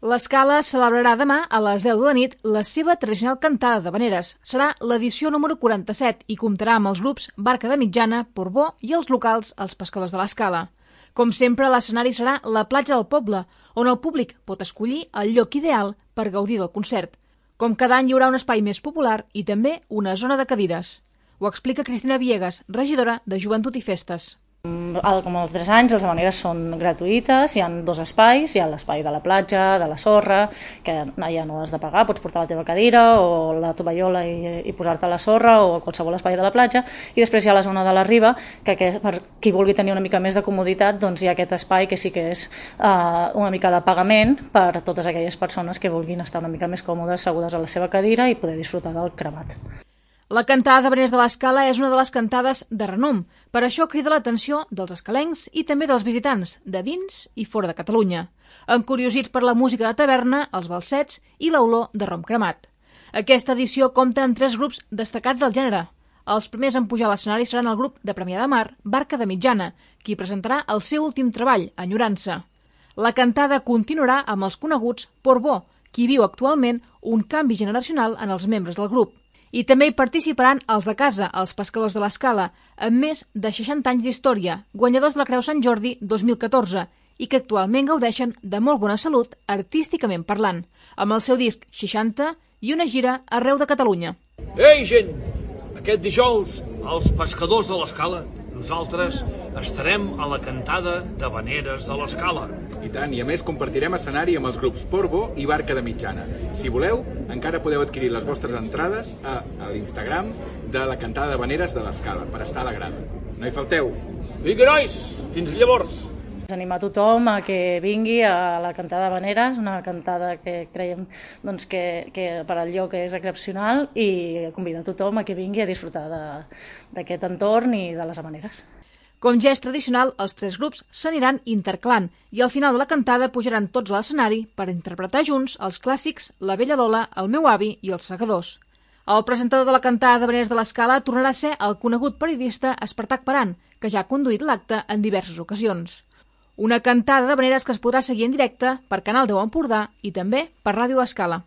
L'Escala celebrarà demà a les 10 de la nit la seva tradicional cantada d'havaneres. Serà l'edició número 47 i comptarà amb els grups Barca de Mitjana, Portbó i els locals Els Pescadors de l'Escala. Com sempre, l'escenari serà la platja del poble, on el públic pot escollir el lloc ideal per gaudir del concert. Com cada any hi haurà un espai més popular i també una zona de cadires. Ho explica Cristina Villegas, regidora de Joventut i Festes. Com els 3 anys, les havaneres són gratuïtes, hi ha 2 espais, hi ha l'espai de la platja, de la sorra, que ja no has de pagar, pots portar la teva cadira o la tovallola i posar-te a la sorra o a qualsevol espai de la platja, i després hi ha la zona de la riba, que per qui vulgui tenir una mica més de comoditat, doncs hi ha aquest espai que sí que és una mica de pagament per a totes aquelles persones que vulguin estar una mica més còmodes, assegudes a la seva cadira i poder disfrutar del cremat. La cantada d'havaneres de l'Escala és una de les cantades de renom. Per això crida l'atenció dels escalencs i també dels visitants, de dins i fora de Catalunya. Encuriosits per la música de taverna, els balsets i l'olor de rom cremat. Aquesta edició compta amb 3 grups destacats del gènere. Els primers en pujar a l'escenari seran el grup de Premià de Mar, Barca de Mitjana, qui presentarà el seu últim treball, Enyorança. La cantada continuarà amb els coneguts Portbó, qui viu actualment un canvi generacional en els membres del grup. I també hi participaran els de casa, els Pescadors de l'Escala, amb més de 60 anys d'història, guanyadors de la Creu Sant Jordi 2014, i que actualment gaudeixen de molt bona salut artísticament parlant, amb el seu disc 60 i una gira arreu de Catalunya. Ei, gent! Aquest dijous, als Pescadors de l'Escala, nosaltres estarem a la cantada d'havaneres de l'Escala. I tant, i a més compartirem escenari amb els grups Portbó i Barca de Mitjana. Si voleu, encara podeu adquirir les vostres entrades a l'Instagram de la cantada d'havaneres de l'Escala, per estar a la grada. No hi falteu! Vinga, nois! Fins llavors! Animar tothom a que vingui a la cantada d'havaneres, una cantada que creiem doncs, que per al lloc és excepcional, i convidar tothom a que vingui a disfrutar d'aquest entorn i de les havaneres. Com ja és tradicional, els 3 grups s'aniran intercalant i al final de la cantada pujaran tots a l'escenari per interpretar junts els clàssics La vella Lola, El meu avi i Els segadors. El presentador de la cantada d'havaneres de l'Escala tornarà a ser el conegut periodista Espartac Paran, que ja ha conduït l'acte en diverses ocasions. Una cantada d'havaneres que es podrà seguir en directe per Canal 10 Empordà i també per Ràdio L'Escala.